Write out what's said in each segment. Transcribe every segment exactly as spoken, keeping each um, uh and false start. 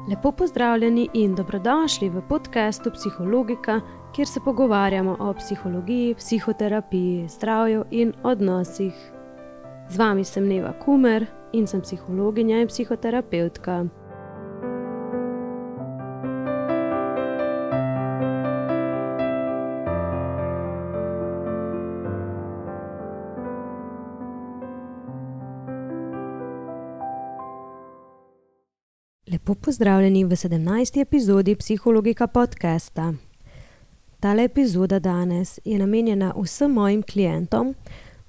Lepo pozdravljeni in dobrodošli v podcastu Psihologika, kjer se pogovarjamo o psihologiji, psihoterapiji, zdravju in odnosih. Z vami sem Neva Kumer in sem psihologinja in psihoterapevtka. Lepo pozdravljeni v sedemnajsti epizodi Psihologika podcasta. Tale epizoda danes je namenjena vsem mojim klientom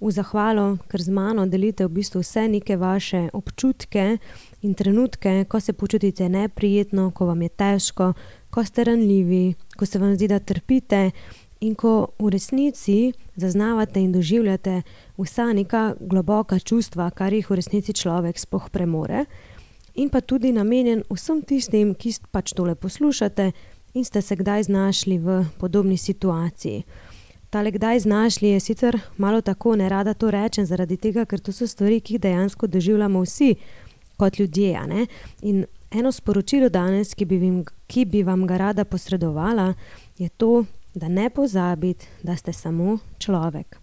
v zahvalo, ker z mano delite v bistvu vse neke vaše občutke in trenutke, ko se počutite neprijetno, ko vam je težko, ko ste ranljivi, ko se vam zdi, da trpite in ko v resnici zaznavate in doživljate vsa neka globoka čustva, kar jih v resnici človek sploh premore. In pa tudi namenjen vsem tistim, ki pač tole poslušate in ste se kdaj znašli v podobni situaciji. Tale kdaj znašli je sicer malo tako, nerada to rečem, zaradi tega, ker to so stvari, ki jih dejansko doživljamo vsi kot ljudje. A ne? In eno sporočilo danes, ki bi, vim, ki bi vam ga rada posredovala, je to, da ne pozabite, da ste samo človek.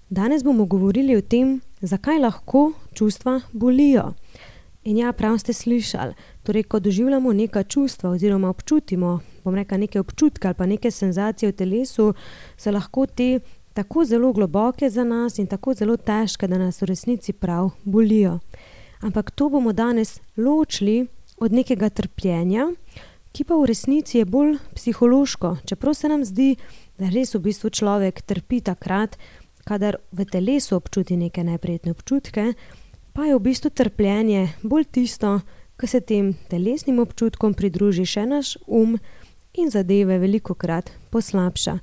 Danes bomo govorili o tem, zakaj lahko čustva bolijo. In ja, prav ste slišali, torej, ko doživljamo neka čustva oziroma občutimo, bom rekla neke občutke ali pa neke senzacije v telesu, so lahko te tako zelo globoke za nas in tako zelo težke, da nas v resnici prav bolijo. Ampak to bomo danes ločili od nekega trpljenja, ki pa v resnici je bolj psihološko, čeprav se nam zdi, da res v bistvu človek trpi takrat, kadar v telesu občuti neke neprijetne občutke, pa je v bistvu trpljenje bolj tisto, ko se tem telesnim občutkom pridruži še naš um in zadeve velikokrat poslabša.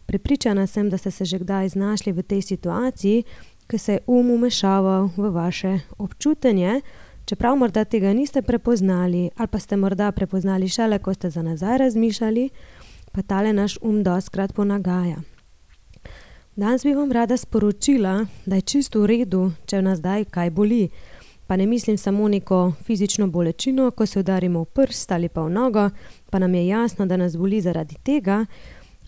Prepričana sem, da ste se že kdaj znašli v tej situaciji, ko se je um umešaval v vaše občutenje, čeprav morda tega niste prepoznali ali pa ste morda prepoznali šele, ko ste za nazaj razmišljali, pa tale naš um dostikrat ponagaja. Danes bi vam rada sporočila, da je čisto v redu, če nas zdaj kaj boli. Pa ne mislim samo neko fizično bolečino, ko se udarimo v prst ali pa v nogo, pa nam je jasno, da nas boli zaradi tega,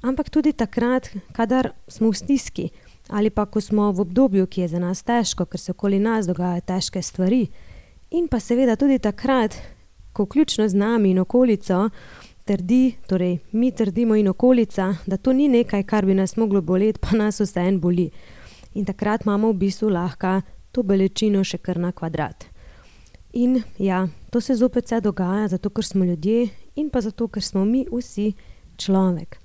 ampak tudi takrat, kadar smo v stiski ali pa ko smo v obdobju, ki je za nas težko, ker se okoli nas dogajajo težke stvari. In pa seveda tudi takrat, ko vključno z nami in okolico trdi, torej mi trdimo in okolica, da to ni nekaj, kar bi nas moglo boleti, pa nas vseeno boli. In takrat imamo v bistvu lahko to bolečino še kar na kvadrat. In ja, to se zopet vse dogaja, zato ker smo ljudje in pa zato, ker smo mi vsi človek.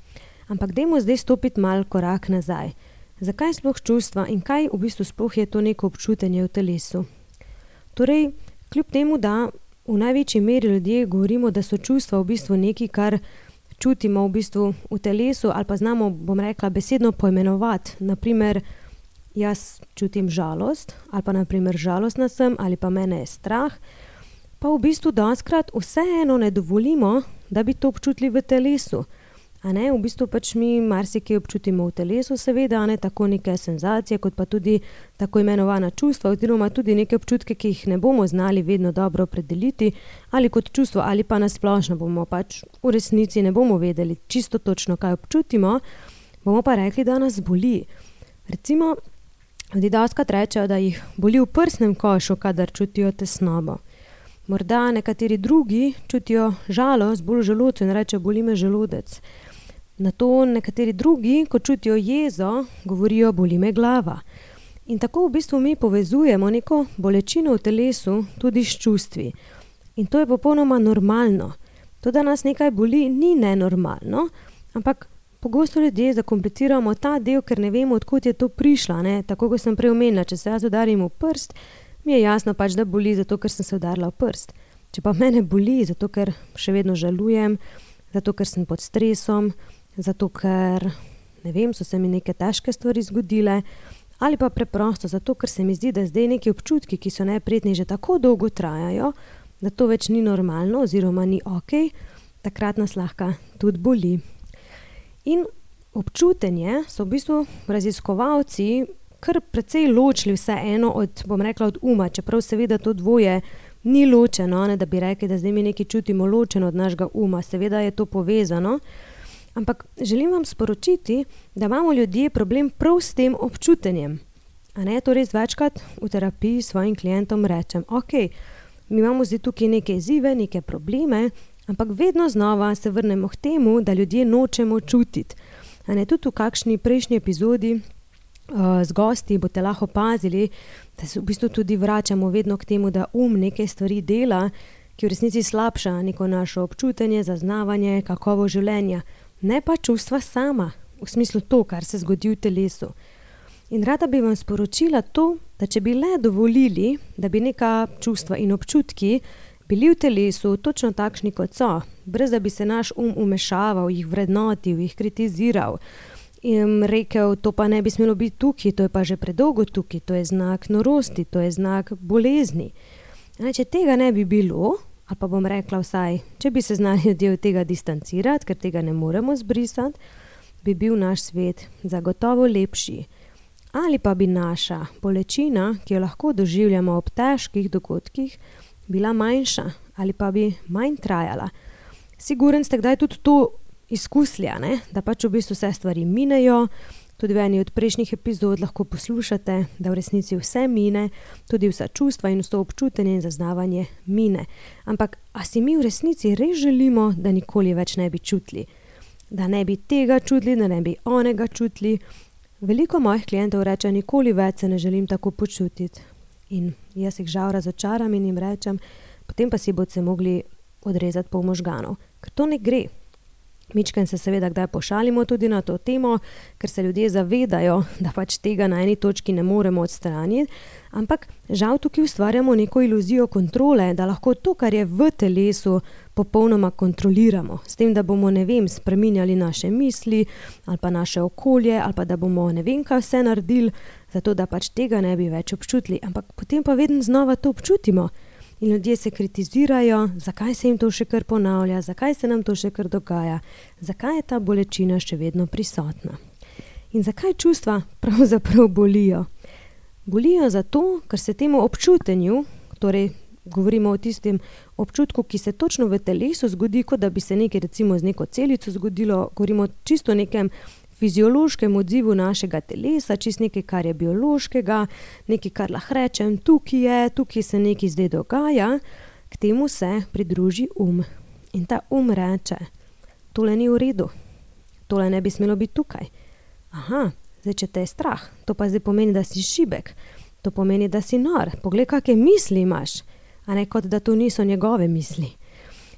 Ampak dajmo zdaj stopiti mal korak nazaj. Zakaj sploh čustva in kaj v bistvu sploh je to neko občutenje v telesu? Torej, kljub temu, da v največji meri ljudje govorimo, da so čustva v bistvu nekaj, kar čutimo v bistvu v telesu ali pa znamo, bom rekla, besedno poimenovati. Naprimer, jaz čutim žalost ali pa naprimer žalostna sem ali pa mene je strah, pa v bistvu dostikrat vseeno ne dovolimo, da bi to občutili v telesu. A ne, v bistvu pač mi marsikaj občutimo v telesu, seveda, a ne tako neke senzacije, kot pa tudi tako imenovana čustva, oziroma tudi neke občutke, ki jih ne bomo znali vedno dobro opredeliti, ali kot čustvo, ali pa nasplošno bomo pač v resnici ne bomo vedeli čisto točno, kaj občutimo, bomo pa rekli, da nas boli. Recimo, ljudje dostikrat rečejo, da jih boli v prsnem košu, kadar čutijo tesnobo. Morda nekateri drugi čutijo žalost bolj v želodcu in rečejo, boli me želodec. Nato nekateri drugi, ko čutijo jezo, govorijo, boli me glava. In tako v bistvu mi povezujemo neko bolečino v telesu tudi s čustvi. In to je popolnoma normalno. To, da nas nekaj boli, ni nenormalno, ampak pogosto ljudje zakompliciramo ta del, ker ne vemo, odkot je to prišlo. Ne? Tako, kot sem prej omenila, če se jaz udarim v prst, mi je jasno pač, da boli zato, ker sem se udarila v prst. Če pa mene boli, zato ker še vedno žalujem, zato ker sem pod stresom, zato ker, ne vem, so se mi neke težke stvari zgodile, ali pa preprosto zato, ker se mi zdi, da zdaj neki občutki, ki so neprijetni, že tako dolgo trajajo, da to več ni normalno oziroma ni okej, takrat nas lahko tudi boli. In občutenje so v bistvu raziskovalci kar precej ločili vse eno od, bom rekla, od uma, čeprav seveda to dvoje ni ločeno, ne, da bi rekli, da zdaj mi nekaj čutimo ločeno od našega uma. Seveda je to povezano, ampak želim vam sporočiti, da imamo ljudje problem prav s tem občutenjem. A ne, to res večkrat v terapiji svojim klientom rečem, ok, mi imamo zdaj tukaj neke izzive, neke probleme, ampak vedno znova se vrnemo k temu, da ljudje nočemo čutiti. A ne, tudi v kakšni prejšnji epizodi uh, z gosti boste lahko opazili, da se v bistvu tudi vračamo vedno k temu, da um neke stvari dela, ki v resnici slabša neko naše občutenje, zaznavanje, kakovo življenja, ne pa čustva sama, v smislu to, kar se zgodi v telesu. In rada bi vam sporočila to, da če bi le dovolili, da bi neka čustva in občutki bili v telesu točno takšni, kot so, brez da bi se naš um umešaval, jih vrednotil, jih kritiziral in rekel, to pa ne bi smelo biti tukaj, to je pa že predolgo tukaj, to je znak norosti, to je znak bolezni. A če tega ne bi bilo, ali pa bom rekla vsaj, če bi se znali ljudje od tega distancirati, ker tega ne moremo zbrisati, bi bil naš svet zagotovo lepši. Ali pa bi naša bolečina, ki jo lahko doživljamo ob težkih dogodkih, bila manjša ali pa bi manj trajala. Siguren ste kdaj tudi to izkusili, ne? Da pač v bistvu vse stvari minejo, tudi v eni od prejšnjih epizod lahko poslušate, da v resnici vse mine, tudi vsa čustva in vso občutenje in zaznavanje mine. Ampak a si mi v resnici res želimo, da nikoli več ne bi čutili? Da ne bi tega čutili, da ne bi onega čutili? Veliko mojih klientov reče, nikoli več se ne želim tako počutiti. In jaz jih žal razočaram in jim rečem, potem pa si boste mogli odrezati pol možganov, ker to ne gre. Mičken se seveda kdaj pošalimo tudi na to temo, ker se ljudje zavedajo, da pač tega na eni točki ne moremo odstraniti, ampak žal tukaj ustvarjamo neko iluzijo kontrole, da lahko to, kar je v telesu, popolnoma kontroliramo. S tem, da bomo, ne vem, spreminjali naše misli ali pa naše okolje ali pa da bomo ne vem kaj vse naredili, zato da pač tega ne bi več občutili. Ampak potem pa vedno znova to občutimo. In ljudje se kritizirajo, zakaj se jim to še kar ponavlja, zakaj se nam to še kar dogaja, zakaj je ta bolečina še vedno prisotna. In zakaj čustva pravzaprav bolijo? Bolijo zato, ker se temu občutenju, torej govorimo o tistem občutku, ki se točno v telesu zgodi, kot da bi se nekaj recimo z neko celico zgodilo, govorimo čisto o nekem fiziološkem odzivu našega telesa, čist nekaj, kar je biološkega, nekaj, kar lahko rečem, tukaj je, tukaj se nekaj zdaj dogaja, k temu se pridruži um. In ta um reče, tole ni v redu, tole ne bi smelo biti tukaj. Aha, zdaj, če te je strah, to pa zdaj pomeni, da si šibek, to pomeni, da si nor, poglej, kakšne misli imaš, a ne kot da to niso njegove misli.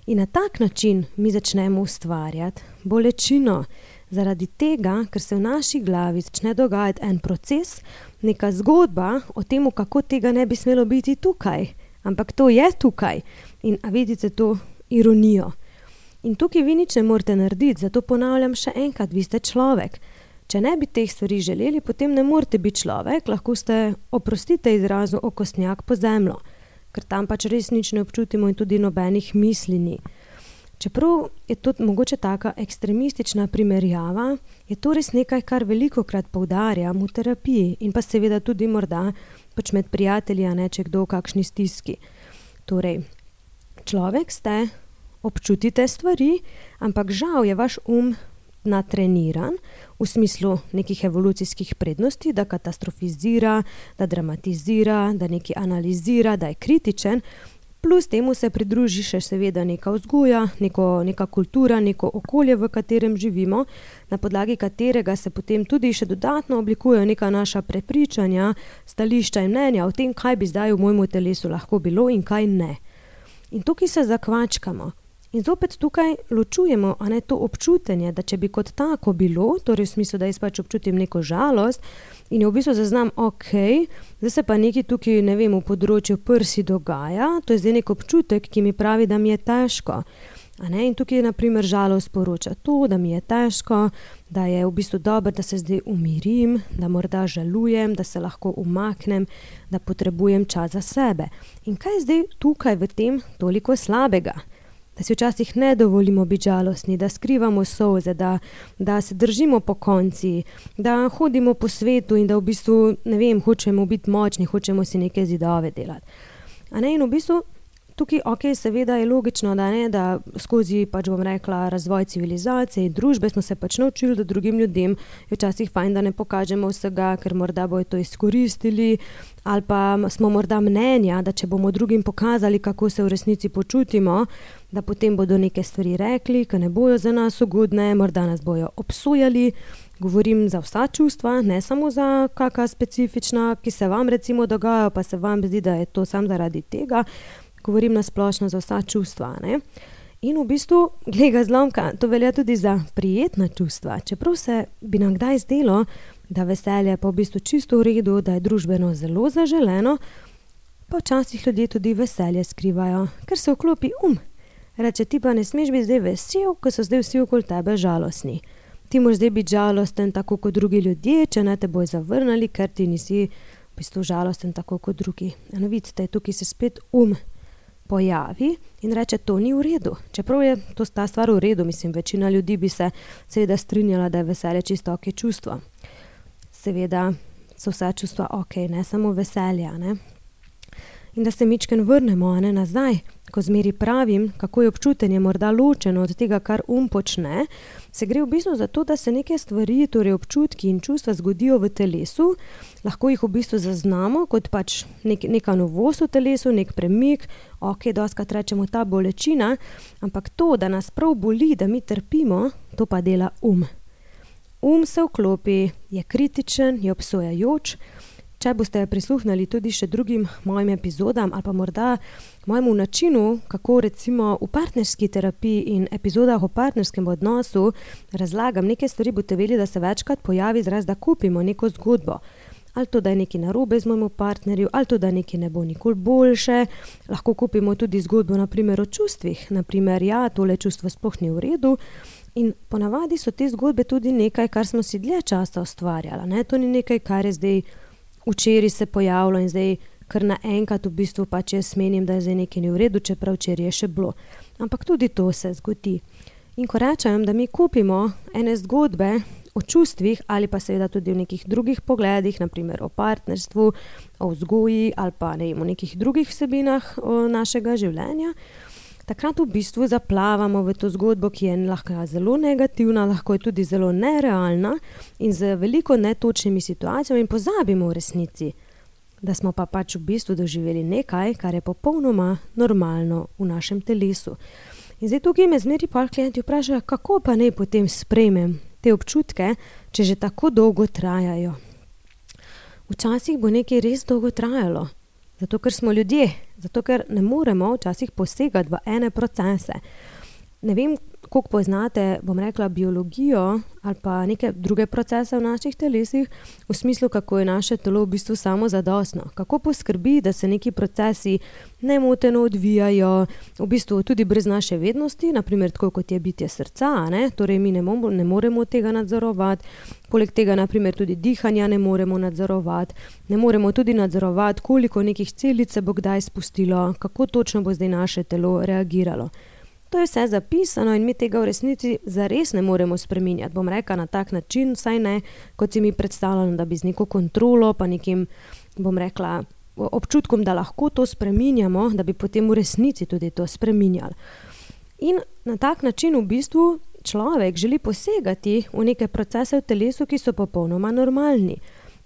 In na tak način mi začnemo ustvarjati bolečino, zaradi tega, ker se v naši glavi začne dogajati en proces, neka zgodba o tem, kako tega ne bi smelo biti tukaj, ampak to je tukaj. In a vidite to ironijo. In tukaj vi nič ne morete narediti, zato ponavljam še enkrat, vi ste človek. Če ne bi teh stvari želeli, potem ne morete biti človek, lahko ste, oprostite izrazu, okostnjak po zemljo, ker tam pač res nič ne občutimo in tudi nobenih misli ni. Čeprav je to mogoče taka ekstremistična primerjava, je to res nekaj, kar velikokrat poudarjam v terapiji in pa seveda tudi morda pač med prijatelji, a ne, če kdo v kakšni stiski. Torej, človek ste, občutite stvari, ampak žal je vaš um natreniran v smislu nekih evolucijskih prednosti, da katastrofizira, da dramatizira, da nekaj analizira, da je kritičen, plus temu se pridruži še seveda neka vzgoja, neko, neka kultura, neko okolje, v katerem živimo, na podlagi katerega se potem tudi še dodatno oblikujejo neka naša prepričanja, stališča in mnenja o tem, kaj bi zdaj v mojemu telesu lahko bilo in kaj ne. In tukaj se zakvačkamo. In zopet tukaj ločujemo, a ne, to občutenje, da če bi kot tako bilo, torej v smislu, da jaz pač občutim neko žalost in jo v bistvu zaznam, ok, zdaj se pa nekaj tukaj, ne vem, v področju prsi dogaja, to je zdaj nek občutek, ki mi pravi, da mi je težko. A ne, in tukaj na primer žalost poroča to, da mi je težko, da je v bistvu dobro, da se zdaj umirim, da morda žalujem, da se lahko umaknem, da potrebujem čas za sebe. In kaj je zdaj tukaj v tem toliko slabega? Da si včasih ne dovolimo biti žalostni, da skrivamo solze, da, da se držimo po konci, da hodimo po svetu in da v bistvu, ne vem, hočemo biti močni, hočemo si neke zidove delati. A ne, in v bistvu tukaj, ok, seveda je logično, da ne, da skozi, pač bom rekla, razvoj civilizacije in družbe smo se pač naučili, da drugim ljudem je včasih fajn, da ne pokažemo vsega, ker morda bojo to izkoristili, ali pa smo morda mnenja, da če bomo drugim pokazali, kako se v resnici počutimo, da potem bodo neke stvari rekli, ki ne bojo za nas ugodne, morda nas bojo obsojali. Govorim za vsa čustva, ne samo za kakšna specifična, ki se vam recimo dogajajo, pa se vam zdi, da je to samo zaradi tega. Govorim na splošno za vsa čustva, ne. In v bistvu, glej ga zlomka, to velja tudi za prijetna čustva. Čeprav se bi nam kdaj zdelo, da veselje pa v bistvu čisto v redu, da je družbeno zelo zaželeno, pa včasih ljudje tudi veselje skrivajo, ker se vklopi um. Reče, ti pa ne smeš biti zdaj vesel, ko so zdaj vsi okoli tebe žalostni. Ti moraš zdaj biti žalosten tako kot drugi ljudje, če ne te bojo zavrnili, ker ti nisi v bistvu žalosten tako kot drugi. Eno vidite, tukaj se spet um pojavi in reče, to ni v redu. Čeprav je to ta stvar v redu, mislim, večina ljudi bi se seveda strinjala, da je veselje čisto ok čustvo. Seveda so vsa čustva ok, ne samo veselja, ne. In da se mičken vrnemo, ne, nazaj, ko zmeri pravim, kako je občutenje morda ločeno od tega, kar um počne, se gre v bistvu za to, da se neke stvari, torej občutki in čustva zgodijo v telesu, lahko jih v bistvu zaznamo kot pač nek, neka novost v telesu, nek premik, ok, dostikrat rečemo ta bolečina, ampak to, da nas prav boli, da mi trpimo, to pa dela um. Um se vklopi, je kritičen, je obsojajoč. Če boste prisluhnili tudi še drugim mojim epizodam ali pa morda mojemu načinu, kako recimo v partnerski terapiji in epizodah o partnerskem odnosu razlagam neke stvari, boste vedeli, da se večkrat pojavi izraz, da kupimo neko zgodbo. Ali to, da je nekaj narobe z mojemu partnerju, ali to, da nekaj ne bo nikoli boljše. Lahko kupimo tudi zgodbo na primer o čustvih. Na primer, ja, tole čustvo sploh ni v redu. In ponavadi so te zgodbe tudi nekaj, kar smo si dlje časa ustvarjali, ne? To ni nekaj, kar je zdaj včeraj se pojavilo in zdaj kar naenkrat v bistvu pač jaz menim, da je zdaj nekaj ni v redu, čeprav včeraj je še bilo. Ampak tudi to se zgodi. In ko rečem, da mi kupimo ene zgodbe o čustvih ali pa seveda tudi v nekih drugih pogledih, na primer o partnerstvu, o vzgoji ali pa ne vem, o nekih drugih vsebinah našega življenja, takrat v bistvu zaplavamo v to zgodbo, ki je lahko zelo negativna, lahko je tudi zelo nerealna in z veliko netočnimi situacijami in pozabimo v resnici, da smo pa pač v bistvu doživeli nekaj, kar je popolnoma normalno v našem telesu. In zdaj tukaj me zmeri pa klienti vprašajo, kako pa naj potem sprejmem te občutke, če že tako dolgo trajajo. Včasih bo nekaj res dolgo trajalo. Zato, ker smo ljudje, zato, ker ne moremo včasih posegati v ene procese. Ne vem, koliko poznate, bom rekla, biologijo ali pa neke druge procese v naših telesih, v smislu, kako je naše telo v bistvu samozadostno. Kako poskrbi, da se neki procesi nemoteno odvijajo, v bistvu tudi brez naše vednosti, na primer tako kot je bitje srca, ne? Torej mi ne, mo- ne moremo tega nadzorovati. Poleg tega, na primer, tudi dihanja ne moremo nadzorovati. Ne moremo tudi nadzorovati, koliko nekih celic se bo kdaj spustilo, kako točno bo zdaj naše telo reagiralo. To je vse zapisano in mi tega v resnici zares ne moremo spreminjati. Bom rekla na tak način, vsaj ne, kot si mi predstavljam, da bi z neko kontrolo, pa nekim, bom rekla, občutkom, da lahko to spreminjamo, da bi potem v resnici tudi to spreminjali. In na tak način v bistvu človek želi posegati v neke procese v telesu, ki so popolnoma normalni.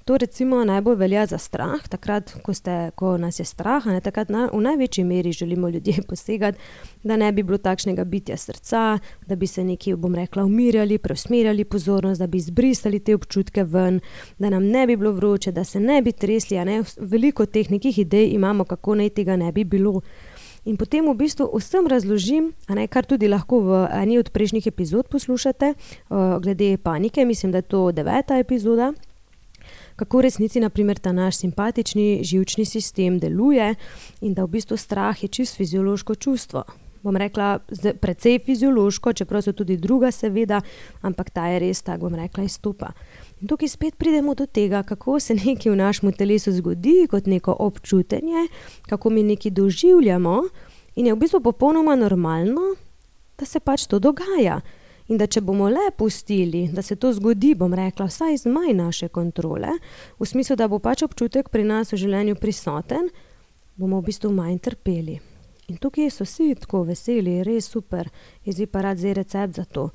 To recimo najbolj velja za strah, takrat, ko, ste, ko nas je strah, ne, takrat na, v največji meri želimo ljudje posegati, da ne bi bilo takšnega bitja srca, da bi se nekje, bom rekla, umirjali, preusmerjali pozornost, da bi izbrisali te občutke ven, da nam ne bi bilo vroče, da se ne bi tresli, a ne, veliko teh nekih idej imamo, kako naj tega ne bi bilo. In potem v bistvu vsem razložim, a ne, kar tudi lahko v eni od prejšnjih epizod poslušate, uh, glede panike, mislim, da je to deveta epizoda, kako v resnici, na primer, ta naš simpatični živčni sistem deluje in da v bistvu strah je čisto fiziološko čustvo. Bom rekla, precej fiziološko, čeprav so tudi druga seveda, ampak ta je res, tako bom rekla, izstopa. In tukaj spet pridemo do tega, kako se nekaj v našem telesu zgodi kot neko občutenje, kako mi nekaj doživljamo in je v bistvu popolnoma normalno, da se pač to dogaja. In da če bomo le pustili, da se to zgodi, bom rekla, vsaj z manj naše kontrole, v smislu, da bo pač občutek pri nas v življenju prisoten, bomo v bistvu manj trpeli. In tukaj so vsi tako veseli, res super, jaz bi pa rad zdaj recept za to.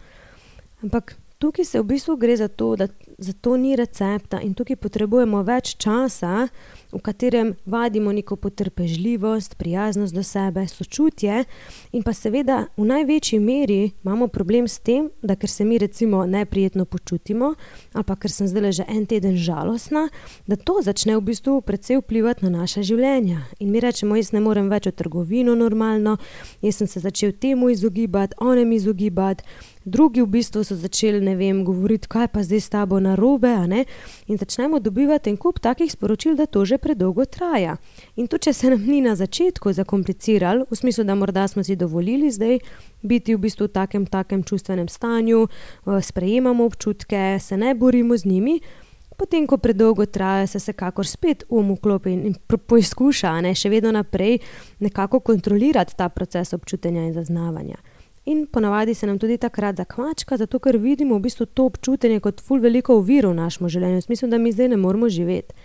Ampak tukaj se v bistvu gre za to, da za to ni recepta in tukaj potrebujemo več časa, v katerem vadimo neko potrpežljivost, prijaznost do sebe, sočutje in pa seveda v največji meri imamo problem s tem, da ker se mi recimo neprijetno počutimo ali pa ker sem zdaj že en teden žalostna, da to začne v bistvu precej vplivati na naša življenja. In mi rečemo, jaz ne morem več v trgovino normalno, jaz sem se začel temu izogibati, onem izogibati, drugi v bistvu so začeli, ne vem, govoriti, kaj pa zdaj s tabo narobe, a ne? In začnemo dobivati en kup takih sporočil, da to že predolgo traja. In to, če se nam ni na začetku zakompliciralo, v smislu, da morda smo si dovolili zdaj biti v bistvu v takem, takem čustvenem stanju, sprejemamo občutke, se ne borimo z njimi, potem, ko predolgo traja, se vsekakor spet um vklopi in poizkuša, ne, še vedno naprej nekako kontrolirati ta proces občutenja in zaznavanja. In ponavadi se nam tudi takrat zakvačka, zato ker vidimo v bistvu to občutenje kot ful veliko oviro v našem življenju. V smislu, da mi zdaj ne moramo živeti.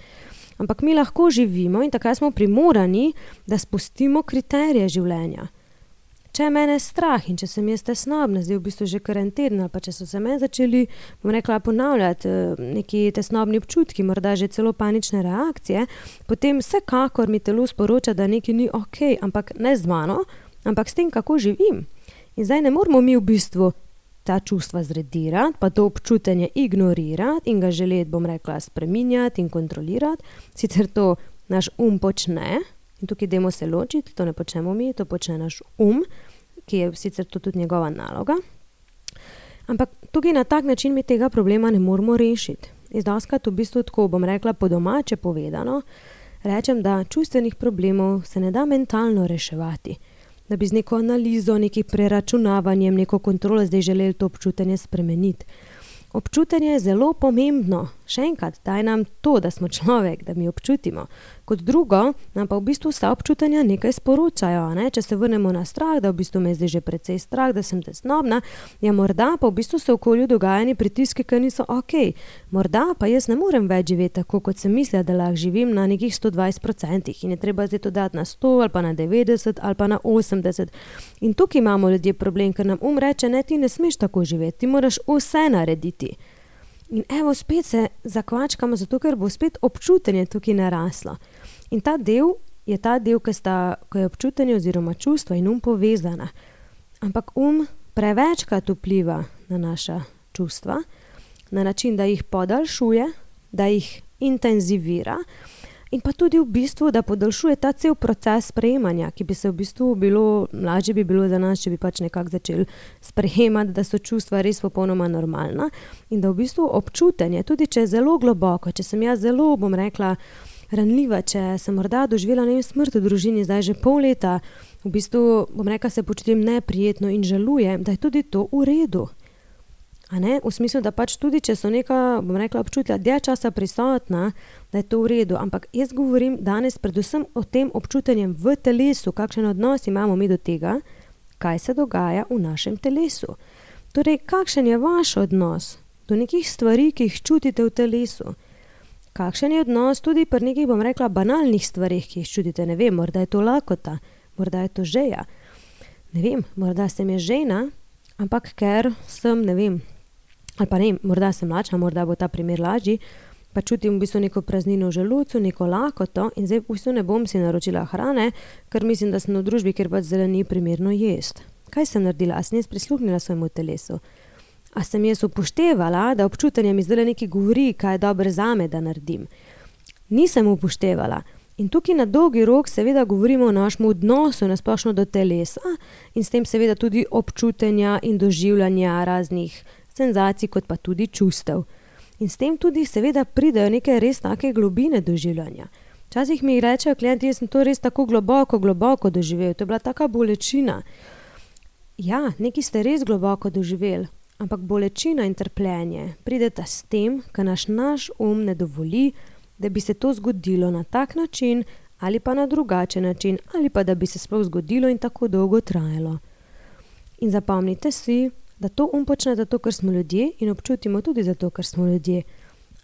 Ampak mi lahko živimo in takrat smo primorani, da spustimo kriterije življenja. Če je mene strah in če sem jaz tesnobna, zdaj v bistvu že kar en teden, ali pa če so se meni začeli, bom rekla, ponavljati neki tesnobni občutki, morda že celo panične reakcije, potem vsekakor mi telo sporoča, da nekaj ni okej, ampak ne z mano, ampak s tem, kako živim. In zdaj ne moramo mi v bistvu ta čustva zredirati, pa to občutenje ignorirati in ga želeti, bom rekla, spreminjati in kontrolirati. Sicer to naš um počne in tukaj dajmo se ločiti, to ne počnemo mi, to počne naš um, ki je sicer to tudi njegova naloga. Ampak tukaj na tak način mi tega problema ne moramo rešiti. Jaz dostikrat v bistvu tako, bom rekla, po domače povedano, rečem, da čustvenih problemov se ne da mentalno reševati. Da bi z neko analizo, nekim preračunavanjem, neko kontrolo zdaj želeli to občutenje spremeniti. Občutenje je zelo pomembno. Še enkrat, daj nam to, da smo človek, da mi občutimo. Kot drugo, nam pa v bistvu vsa občutenja nekaj sporočajo. Ne? Če se vrnemo na strah, da v bistvu me zdaj že precej strah, da sem tesnobna, ja morda pa v bistvu se v okolju dogajani pritiski, ki niso okej. Morda pa jaz ne morem več živeti tako, kot sem mislila, da lahko živim na nekih sto dvajset procentih in je treba zdaj to dati na sto ali pa na devetdeset ali pa na osemdeset. In tukaj imamo ljudje problem, ker nam um reče, ne, ti ne smeš tako živeti, ti moraš vse narediti. In evo, spet se zakvačkamo, zato ker bo spet občutenje tukaj naraslo. In ta del je ta del, ki sta, ko je občutenje oziroma čustva in um povezana. Ampak um prevečkrat vpliva na naša čustva, na način, da jih podaljšuje, da jih intenzivira in pa tudi v bistvu, da podaljšuje ta cel proces sprejemanja, ki bi se v bistvu bilo, lažje bi bilo za nas, če bi pač nekako začeli sprejemati, da so čustva res popolnoma normalna in da v bistvu občutenje, tudi če je zelo globoko, če sem jaz zelo, bom rekla, ranljiva, če sem morda doživela ne vem, smrt v družini, zdaj že pol leta, v bistvu, bom rekla, se počutim neprijetno in žalujem, da je tudi to v redu. A ne? V smislu, da pač tudi, če so neka, bom rekla, občutja dlje časa prisotna, da je to v redu. Ampak jaz govorim danes predvsem o tem občutenjem v telesu, kakšen odnos imamo mi do tega, kaj se dogaja v našem telesu. Torej, kakšen je vaš odnos do nekih stvari, ki jih čutite v telesu? Kakšen je odnos tudi pri nekih, bom rekla, banalnih stvarih, ki jih čutite? Ne vem, morda je to lakota, morda je to žeja. Ne vem, morda sem je žena, ampak ker sem, ne vem, ali pa ne, morda sem lačna, morda bo ta primer lažji, pa čutim v bistvu neko praznino v želodcu, neko lakoto in zdaj v bistvu ne bom si naročila hrane, ker mislim, da sem v družbi, ker pač zdaj ni primerno jesti. Kaj sem naredila? A sem jaz prisluhnila svojemu telesu? A sem jaz upoštevala, da občutenje mi zdaj nekaj govori, kaj je dobro zame, da naredim? Nisem upoštevala. In tukaj na dolgi rok seveda govorimo o našem odnosu nasplošno do telesa in s tem seveda tudi občutenja in doživljanja raznih senzacij, kot pa tudi čustev. In s tem tudi seveda pridejo neke res take globine doživljanja. Včasih mi rečejo klienti, jaz sem to res tako globoko, globoko doživel, to je bila taka bolečina. Ja, nekaj ste res globoko doživeli, ampak bolečina in trpljenje prideta s tem, ker naš naš um ne dovoli, da bi se to zgodilo na tak način ali pa na drugačen način ali pa da bi se sploh zgodilo in tako dolgo trajalo. In zapomnite si, da to um počne zato, ker smo ljudje in občutimo tudi zato, ker smo ljudje.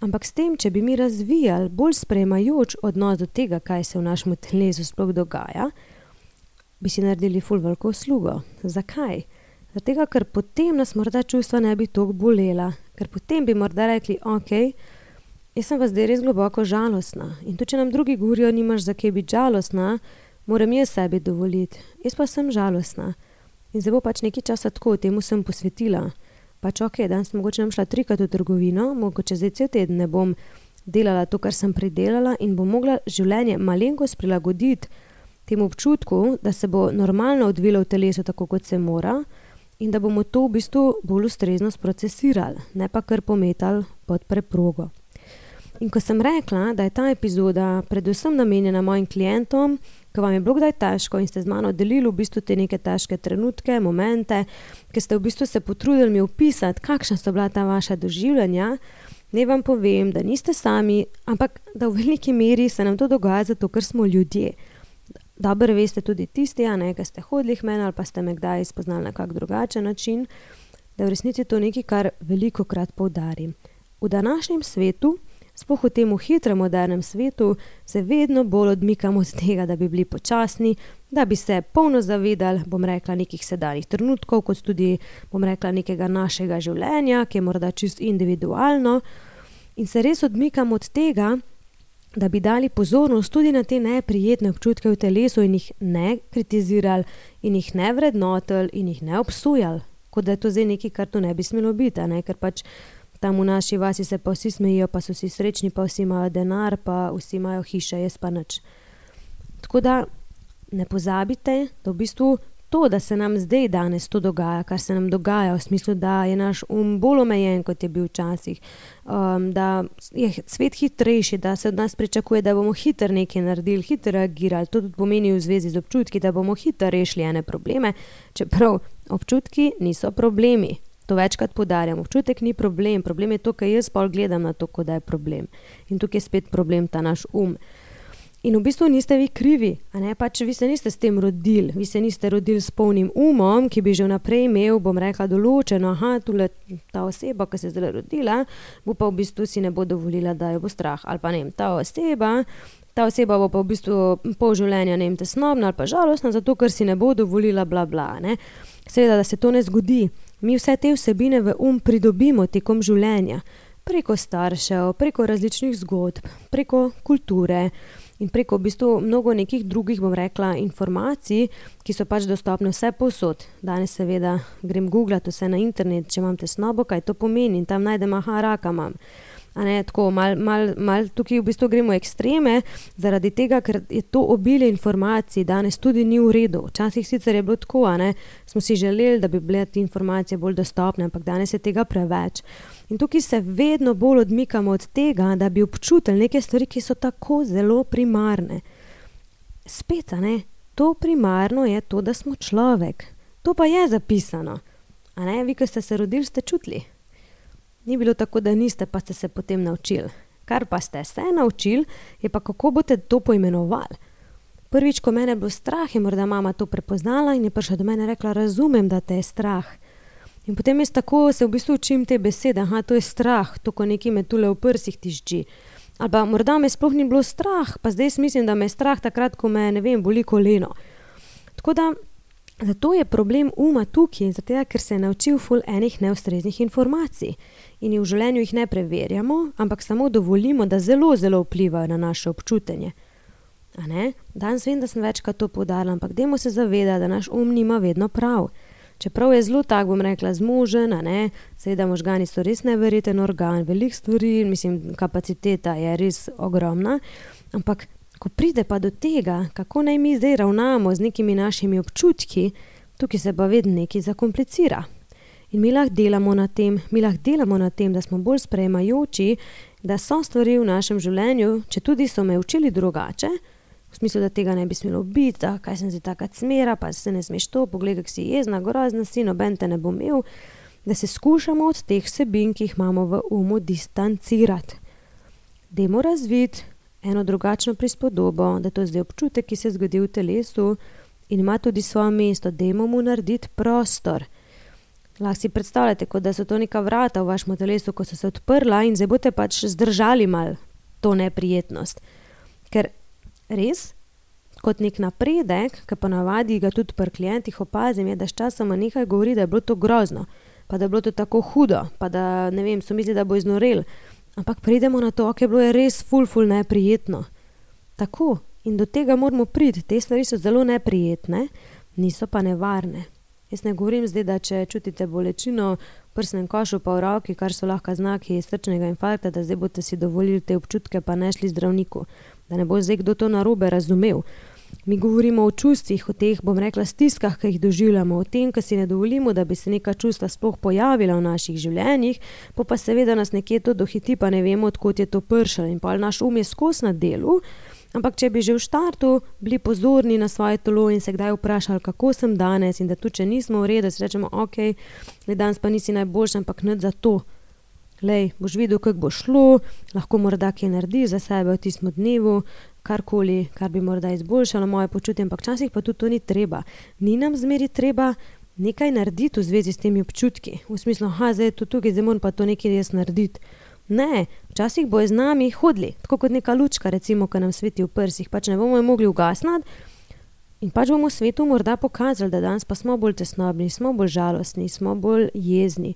Ampak s tem, če bi mi razvijali bolj sprejemajoč odnos do tega, kaj se v našem telesu sploh dogaja, bi si naredili ful veliko uslugo. Zakaj? Zato, ker potem nas morda čustva ne bi toliko bolela, ker potem bi morda rekli, ok, jaz sem pa zdaj res globoko žalostna in tudi, če nam drugi govorijo, nimaš za kaj biti žalostna, moram jaz sebi dovoliti. Jaz pa sem žalostna in zdaj bo pač nekaj časa tako, temu sem posvetila. Pač ok, danes mogoče nam šla trikrat v trgovino, mogoče zdaj cel teden ne bom delala to, kar sem pridelala in bom mogla življenje malenkost prilagoditi temu občutku, da se bo normalno odvilo v telesu tako, kot se mora in da bomo to v bistvu bolj ustrezno sprocesirali, ne pa kar pometali pod preprogo. In ko sem rekla, da je ta epizoda predvsem namenjena mojim klientom, ko vam je bilo kdaj težko in ste z mano delili v bistvu te neke težke trenutke, momente, ki ste v bistvu se potrudili mi opisati, kakšna so bila ta vaša doživljanja, ne vam povem, da niste sami, ampak da v veliki meri se nam to dogaja zato, ker smo ljudje. Dobro veste tudi tisti, a ne, ki ste hodili k meni ali pa ste me kdaj spoznali na kak drugačen način, da v resnici to nekaj, kar velikokrat poudarim. V današnjem svetu, sploh v tem hitrem modernem svetu, se vedno bolj odmikamo od tega, da bi bili počasni, da bi se polno zavedali, bom rekla, nekih sedanjih trenutkov, kot tudi, bom rekla, nekega našega življenja, ki je morda čisto individualno, in se res odmikamo od tega, da bi dali pozornost tudi na te neprijetne občutke v telesu in jih ne kritizirali in jih ne vrednotili in jih ne obsojali, kot da je to zdaj nekaj, kar to ne bi smelo biti, ne? Ker pač tam v naši vasi se pa vsi smejijo, pa so vsi srečni, pa vsi imajo denar, pa vsi imajo hiše, jaz pa nič. Tako da ne pozabite, da v bistvu to, da se nam zdaj danes to dogaja, kar se nam dogaja v smislu, da je naš um bolj omejen, kot je bil včasih, um, da je svet hitrejši, da se od nas pričakuje, da bomo hitro nekaj naredili, hitro reagirali, to tudi pomeni v zvezi z občutki, da bomo hitro rešili ene probleme, čeprav občutki niso problemi. To večkrat poudarjam, občutek ni problem, problem je to, kaj jaz pol gledam na to, kot da je problem. In tukaj je spet problem ta naš um. In v bistvu niste vi krivi, a ne, pač vi se niste s tem rodili, vi se niste rodili s polnim umom, ki bi že vnaprej imel, bom rekla, določeno, aha, tule ta oseba, ki se je zdaj rodila, bo pa v bistvu si ne bo dovolila, da jo bo strah, ali pa ne vem, ta oseba, ta oseba bo pa v bistvu pol življenja, ne vem, tesnobna ali pa žalostna, zato ker si ne bo dovolila bla bla, ne. Seveda, da se to ne zgodi. Mi vse te vsebine v um pridobimo tekom življenja, preko staršev, preko različnih zgodb, preko kulture in preko v bistvu mnogo nekih drugih, bom rekla, informacij, ki so pač dostopne vse povsod. Danes seveda grem googlati vse na internet, če imam tesnobo, kaj to pomeni in tam najdem, aha, raka imam. A ne, tako, mal, mal, mal tukaj v bistvu gremo ekstreme, zaradi tega, ker je to obilje informacij danes tudi ni v redu. Včasih sicer je bilo tako, a ne, smo si želeli, da bi bile te informacije bolj dostopne, ampak danes je tega preveč. In tukaj se vedno bolj odmikamo od tega, da bi občutili neke stvari, ki so tako zelo primarne. Spet, a ne, to primarno je to, da smo človek. To pa je zapisano. A ne, vi, ko ste se rodili, ste čutili. Ni bilo tako, da niste, pa ste se potem naučili. Kar pa ste se naučili, je pa kako boste to poimenovali. Prvič, ko mene je bilo strah, je morda mama to prepoznala in je prišla do mene rekla, razumem, da te je strah. In potem jaz tako se v bistvu učim te besede, aha, to je strah, to, ko nekaj me tule v prsih tišči. Ali pa morda me sploh ni bilo strah, pa zdaj mislim, da me je strah takrat, ko me, ne vem, boli koleno. Tako da, zato je problem uma tukaj, zato ker se je naučil ful enih neustreznih informacij. In v življenju jih ne preverjamo, ampak samo dovolimo, da zelo, zelo vplivajo na naše občutenje. A ne? Danes vem, da sem večkrat to poudarila, ampak dajmo se zavedati, da naš um nima vedno prav. Čeprav je zelo tak, bom rekla, zmožen, a ne, seveda možgani so res neverjeten organ, veliko stvari, mislim, kapaciteta je res ogromna, ampak ko pride pa do tega, kako naj mi zdaj ravnamo z nekimi našimi občutki, tukaj se pa vedno nekaj zakomplicira. In mi lahko delamo na tem, mi lahko delamo na tem, da smo bolj sprejemajoči, da so stvari v našem življenju, če tudi so me učili drugače, v smislu, da tega ne bi smelo biti, da kaj sem zdaj taka cmera, pa se ne smeš to, poglej, kak si jezna, grozna si, noben te ne bo imel, da se skušamo od teh vsebin, ki jih imamo v umu, distancirati. Dajmo razviti eno drugačno prispodobo, da to je zdaj občutek, ki se zgodi v telesu in ima tudi svoje mesto, dajmo mu narediti prostor. Lahko si predstavljate, kot da so to neka vrata v vašem telesu, ko so se odprla in zdaj boste pač zdržali mal to neprijetnost. Ker res, kot nek napredek, ki pa navadi ga tudi pri klientih opazim, je, da sčasoma nekaj govori, da je bilo to grozno, pa da je bilo to tako hudo, pa da, ne vem, so mislili, da bo iznorel. Ampak pridemo na to, ok, bilo je res ful, ful neprijetno. Tako. In do tega moramo priti. Te stvari so zelo neprijetne, niso pa nevarne. Jaz ne govorim zdaj, da če čutite bolečino v prsnem košu pa v roki, kar so lahko znaki srčnega infarkta, da zdaj boste si dovolili te občutke pa ne šli zdravniku. Da ne bo zdaj kdo to narobe razumel. Mi govorimo o čustvih, o teh, bom rekla, stiskah, ki jih doživljamo, o tem, ki si ne dovolimo, da bi se neka čustva sploh pojavila v naših življenjih, pa pa seveda nas nekje to dohiti, pa ne vemo, odkot je to pršalo. In pa naš um je skos na delu, ampak če bi že v štartu bili pozorni na svoje telo in se kdaj vprašali, kako sem danes in da tu, če nismo v redu, si rečemo, ok, danes pa nisi najboljši, ampak nič za to. Lej, boš videl, kako bo šlo, lahko morda kaj narediš za sebe v tistem dnevu, karkoli, kar bi morda izboljšalo moje počutje, ampak včasih pa tudi to ni treba. Ni nam zmeri treba nekaj narediti v zvezi s temi občutki. V smislu, ha, zdaj je to tukaj, zdaj moram pa to nekaj jaz narediti. Ne, včasih bo z nami hodili, tako kot neka lučka, recimo, ki nam sveti v prsih, pač ne bomo jo mogli ugasniti in pač bomo svetu morda pokazali, da danes pa smo bolj tesnobni, smo bolj žalostni, smo bolj jezni.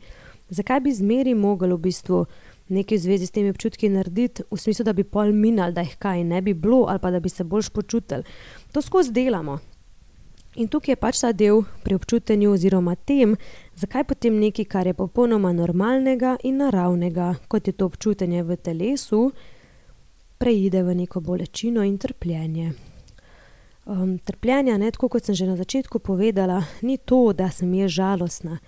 Zakaj bi zmeri mogli v bistvu nekaj v zvezi s temi občutki narediti, v smislu, da bi pol minali, da jih kaj ne bi bilo ali pa da bi se boljš počutili. To skozi delamo. In tukaj je pač ta del pri občutenju oziroma tem, zakaj potem nekaj, kar je popolnoma normalnega in naravnega, kot je to občutenje v telesu, preide v neko bolečino in trpljenje. Um, trpljenja, ne, tako kot sem že na začetku povedala, ni to, da sem je žalostna.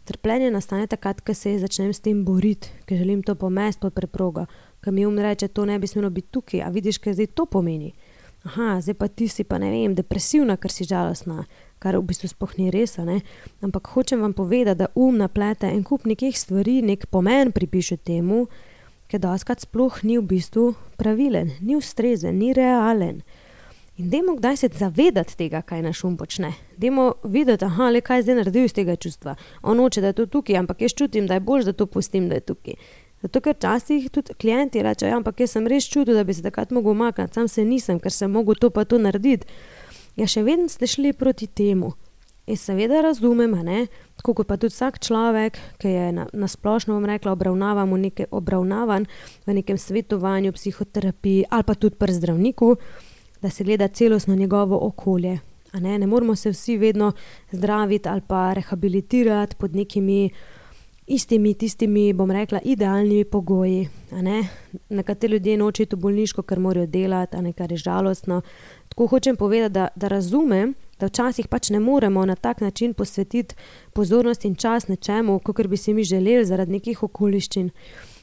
Trpljenje nastane takrat, ko se začnem s tem boriti, ker želim to pomesti pod preprogo, ko mi um reče, to ne bi smelo biti tukaj, a vidiš, kaj zdaj to pomeni. Aha, zdaj pa ti si pa, ne vem, depresivna, ker si žalostna, kar v bistvu sploh ni res, ne? Ampak hočem vam povedati, da um naplete en kup nekih stvari, nek pomen pripiše temu, ker dostikrat sploh ni v bistvu pravilen, ni ustrezen, ni realen. In dajmo kdaj se zavedati tega, kaj naš um počne. Dajmo videti, aha, le kaj zdaj naredil iz tega čustva. On hoče, da je to tukaj, ampak jaz čutim, da je boljš, da to pustim, da je tukaj. Zato, ker časih tudi klienti rečejo, ja, ampak jaz sem res čutil, da bi se takrat mogel umakniti, sam se nisem, ker sem mogel to pa to narediti. Ja, še vedno ste šli proti temu. Jaz seveda razumem, ne, tako kot pa tudi vsak človek, ki je na, na splošno, bom rekla, obravnavan v, neke, obravnavan v nekem svetovanju, psihoterapiji ali pa tudi pri zdravniku, da se gleda celostno njegovo okolje. A ne, ne moramo se vsi vedno zdraviti ali pa rehabilitirati pod nekimi istimi, tistimi, bom rekla, idealnimi pogoji. A ne. Nekateri ljudje nočejo v bolniško, ker morajo delati, a ne, kar je žalostno. Tako hočem povedati, da, da razumem, da včasih pač ne moremo na tak način posvetiti pozornost in čas nečemu, kakor bi si mi želeli zaradi nekih okoliščin.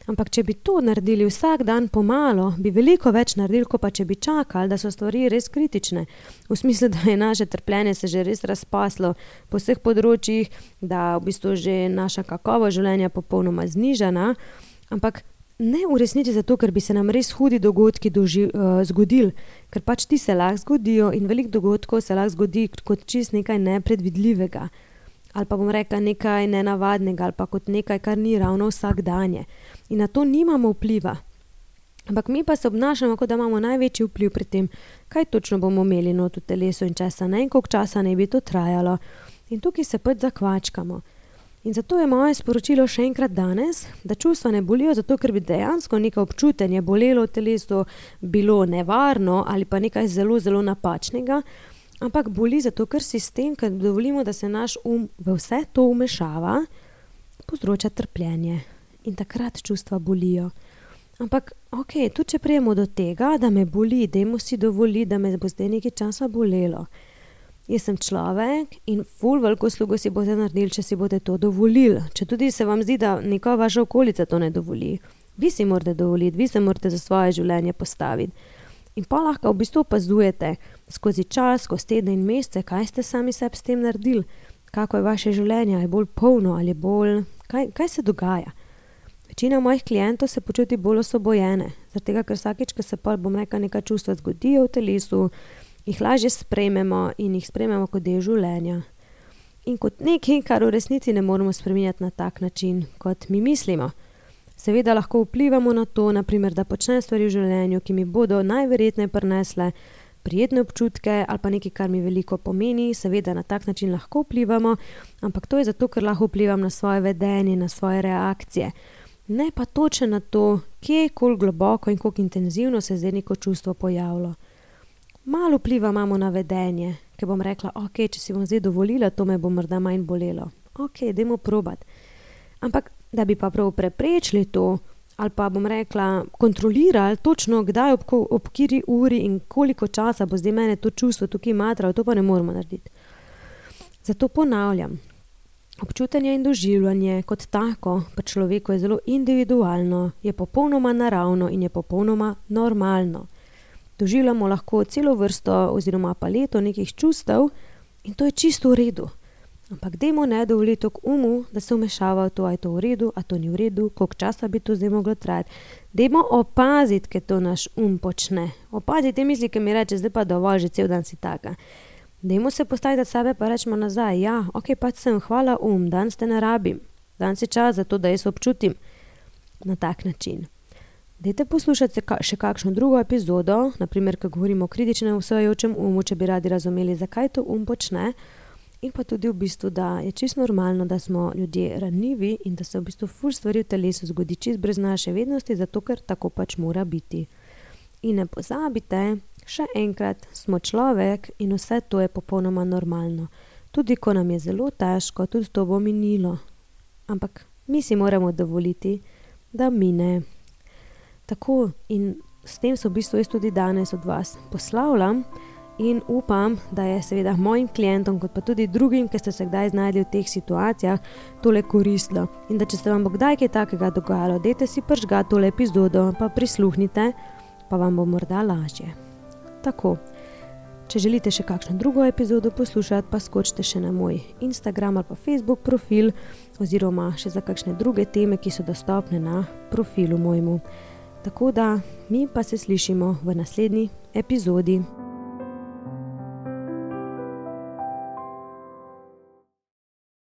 Ampak če bi to naredili vsak dan pomalo, bi veliko več naredili, ko pa če bi čakali, da so stvari res kritične. V smislu, da je naše trpljenje se že res razpaslo po vseh področjih, da v bistvu že naša kakovost življenja popolnoma znižana, ampak ne v resnici zato, ker bi se nam res hudi dogodki doži, uh, zgodili, ker pač ti se lahko zgodijo in veliko dogodkov se lahko zgodi kot čist nekaj nepredvidljivega. Ali pa bom rekla nekaj nenavadnega, ali pa kot nekaj, kar ni ravno vsakdanje. In na to nimamo vpliva. Ampak mi pa se obnašamo, kot da imamo največji vpliv pri tem, kaj točno bomo imeli not v telesu in časa, ne, in koliko časa ne bi to trajalo. In tukaj se pač zakvačkamo. In zato je moje sporočilo še enkrat danes, da čustva ne bolijo, zato ker bi dejansko neko občutenje bolelo v telesu, bilo nevarno ali pa nekaj zelo, zelo napačnega, ampak boli zato, ker sistem, ker dovolimo, da se naš um v vse to umešava, povzroča trpljenje. In takrat čustva bolijo. Ampak, ok, tudi če prijemo do tega, da me boli, dajmo si dovoliti, da me bo zdaj nekaj časa bolelo. Jaz sem človek in ful veliko slugo si boste naredili, če si boste to dovolili. Če tudi se vam zdi, da neka vaša okolica to ne dovoli. Vi si morate dovoliti, vi se morate za svoje življenje postaviti. In pa lahko v bistvu opazujete skozi čas, skozi tedne in mesece, kaj ste sami sebi s tem naredili, kako je vaše življenje, je bolj polno ali bolj, kaj, kaj se dogaja. Večina mojih klientov se počuti bolj osvobojene, zaradi tega, ker vsakič, ko se pa, bom rekla, neka čustva zgodijo v telesu, jih lažje sprejmemo in jih sprejmemo kot del življenja. In kot nekaj, kar v resnici ne moramo spreminjati na tak način, kot mi mislimo. Seveda lahko vplivamo na to, naprimer, da počnem stvari v življenju, ki mi bodo najverjetneje prinesle prijetne občutke ali pa nekaj, kar mi veliko pomeni, seveda na tak način lahko vplivamo, ampak to je zato, ker lahko vplivam na svoje vedenje, na svoje reakcije. Ne pa točno na to, kje, koliko globoko in koliko intenzivno se zdaj neko čustvo pojavilo. Malo vpliva imamo na vedenje, ker bom rekla, ok, če si bom zdaj dovolila, to me bo morda manj bolelo. Ok, dajmo probat. Ampak, da bi pa prav preprečili to, ali pa bom rekla, kontrolirali točno, kdaj, ob, ob kiri uri in koliko časa bo zdaj mene to čustvo tukaj matralo, to pa ne moramo narediti. Zato ponavljam, občutenje in doživljanje kot tako pa človeku je zelo individualno, je popolnoma naravno in je popolnoma normalno. Doživljamo lahko celo vrsto oziroma paleto nekih čustev in to je čisto v redu. Ampak dajmo ne dovoliti umu, da se vmešava v to, a je to v redu, a to ni v redu, koliko časa bi to zdaj moglo trajati. Dajmo opaziti, kaj to naš um počne. Opaziti te misli, ki mi reče, zdaj pa dovolj, že cel dan si taka. Dajmo se postaviti od sebe pa rečemo nazaj, ja, ok, pač sem, hvala um, danes te ne rabim. Danes je čas za to, da jaz občutim na tak način. Dajte poslušati še kakšno drugo epizodo, naprimer, ko govorimo o kritičnem vsejočem umu, če bi radi razumeli, zakaj to um počne, in pa tudi v bistvu, da je čisto normalno, da smo ljudje ranljivi in da se v bistvu ful stvari v telesu zgodi čisto brez naše vednosti, zato ker tako pač mora biti. In ne pozabite, še enkrat, smo človek in vse to je popolnoma normalno. Tudi ko nam je zelo težko, tudi to bo minilo. Ampak mi si moramo dovoliti, da mine. Tako, in s tem se v bistvu jaz tudi danes od vas poslavljam in upam, da je seveda mojim klientom, kot pa tudi drugim, ki ste se kdaj znajdli v teh situacijah, tole koristilo. In da če se vam bo kdaj kaj takega dogajalo, dajte si prižgati tole epizodo, pa prisluhnite, pa vam bo morda lažje. Tako, če želite še kakšno drugo epizodo poslušati, pa skočite še na moj Instagram ali pa Facebook profil, oziroma še za kakšne druge teme, ki so dostopne na profilu mojemu. Tako da, mi pa se slišimo v naslednji epizodi.